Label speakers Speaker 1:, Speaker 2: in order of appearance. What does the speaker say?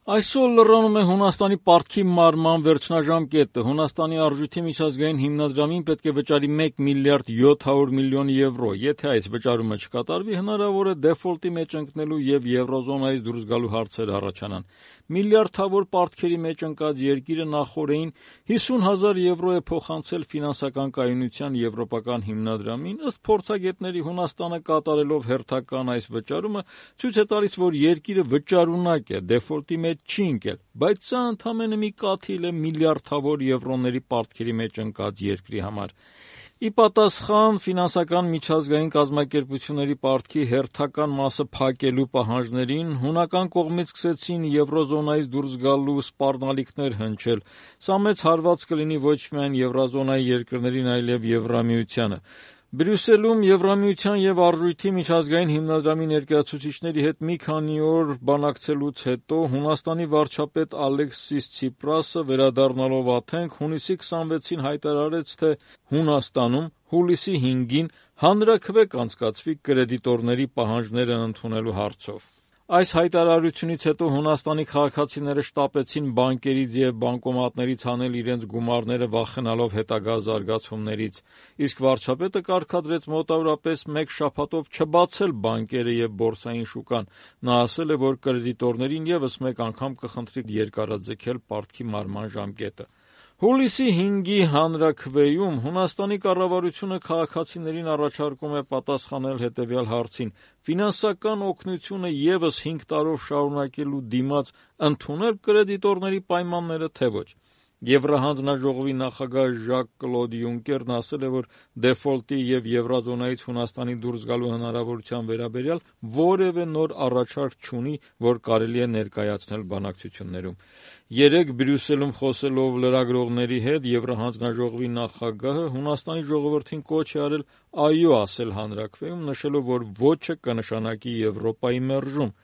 Speaker 1: Այսօր լրանում է Հունաստանի պարտքի մարման վերջնաժամկետը։ Հունաստանի արժույթի միջազգային հիմնադրամին պետք է վճարի 1 միլիարդ 700 միլիոն եվրո։ Եթե այս վճարումը չկատարվի, հնարավոր է դեֆոլտի մեջ ընկնելու եւ եվրոզոնայից դուրս գալու հարցեր առաջանան։ Միլիարդավոր պարտքերի մեջ ընկած երկիրը նախօրեին 50,000 եվրո է փոխանցել ֆինանսական կայունության եվրոպական հիմնադրամին։ Ըստ փորձագետների, Հունաստանը կատարելով հերթական այս վճարումը ցույց է տալիս, որ երկիրը վճարունակ է, դեֆոլտի մեջ չի ընկել, բայց սա ընդամենը մի կաթիլ է միլիարդավոր եվրոների պարտքերի մեջ ընկած երկրի համար։ Ի պատասխան ֆինանսական միջազգային կազմակերպությունների պարտքի հերթական մասը փակելու պահանջներին, հունական կողմից սկսեցին եվրոզոնայից դուրս գալու սպառնալիքներ հնչել։ Սա մեծ հարված կլինի ոչ միայն եվրոզոնայի երկրներին, այլև Եվրամիությանը։ Բրյուսելում Եվրամիության և Արժույթի միջազգային հիմնադրամի ներկայացուցիչների հետ մի քանի օր բանակցելուց հետո Հունաստանի վարչապետ Ալեքսիս Ցիպրասը, վերադառնալով Աթենք, հունիսի 26-ին հայտարարեց, թե Հունաստանում հուլիսի 5-ին հանրաքվե կանցկացվի կրեդիտորների պահանջները ընդունելու հարցով։ Այս հայտարարությունից հետո Հունաստանի քաղաքացիները շտապեցին բանկերից և բանկոմատներից հանել իրենց գումարները, վախենալով հետագա զարգացումներից, իսկ վարչապետը կարգադրեց մոտավորապես մեկ շաբաթով չբացել բանկերը և բորսային շուկան։ Նա ասել է, որ կրեդիտորներին ևս մեկ անգամ կխնդրի երկարաձգել պարտքի մարման ժամկետը։ Հուլիսի 5-ի հանրաքվեում Հունաստանի կառավարությունը քաղաքացիներին առաջարկում է պատասխանել հետևյալ հարցին. ֆինանսական օգնությունը ևս 5 տարով շարունակելու դիմաց ընդունել կրեդիտորների պայմանները, թե ոչ։ Եվրահանձնաժողովի նախագահ Ժակ-Կլոդ Յունկերն ասել է, որ դեֆոլտի և եվրոզոնայից Հունաստանի դուրս գալու հնարավորության վերաբերյալ որևէ նոր առաջարկ չունի, որ կարելի է ներկայացնել բանակցություններում։ Երեկ Բրյուսելում խոսելով լրագրողների հետ Եվրահանձնաժողովի նախագահը Հունաստանի ժողովրդին կոչ է արել այո ասել հանրաքվեում, նշելով, որ ոչը կնշանակի Եվրոպայի մերժում։